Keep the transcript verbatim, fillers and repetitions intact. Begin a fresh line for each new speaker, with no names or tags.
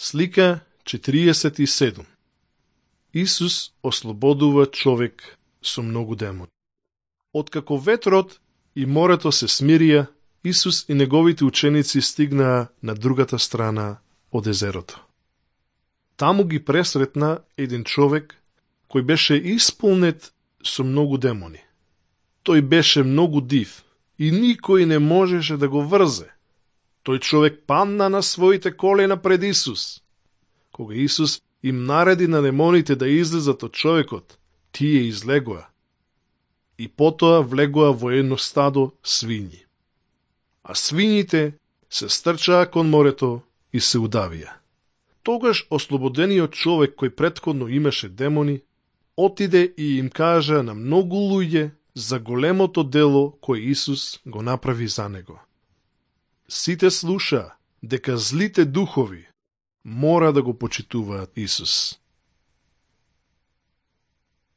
Слика четириесет и седум. Исус ослободува човек со многу демони. Откако ветрот и морето се смирија, Исус и неговите ученици стигнаа на другата страна од езерото. Таму ги пресретна еден човек кој беше исполнет со многу демони. Тој беше многу див и никој не можеше да го врзе. Тој човек падна на своите колена пред Исус. Кога Исус им нареди на демоните да излезат од човекот, тие излегоа. И потоа влегоа во едно стадо свињи. А свињите се стрчаа кон морето и се удавија. Тогаш ослободениот човек кој претходно имаше демони, отиде и им кажа на многу луѓе за големото дело кој Исус го направи за него. Сите слушаа дека злите духови мора да го почитуваат Исус.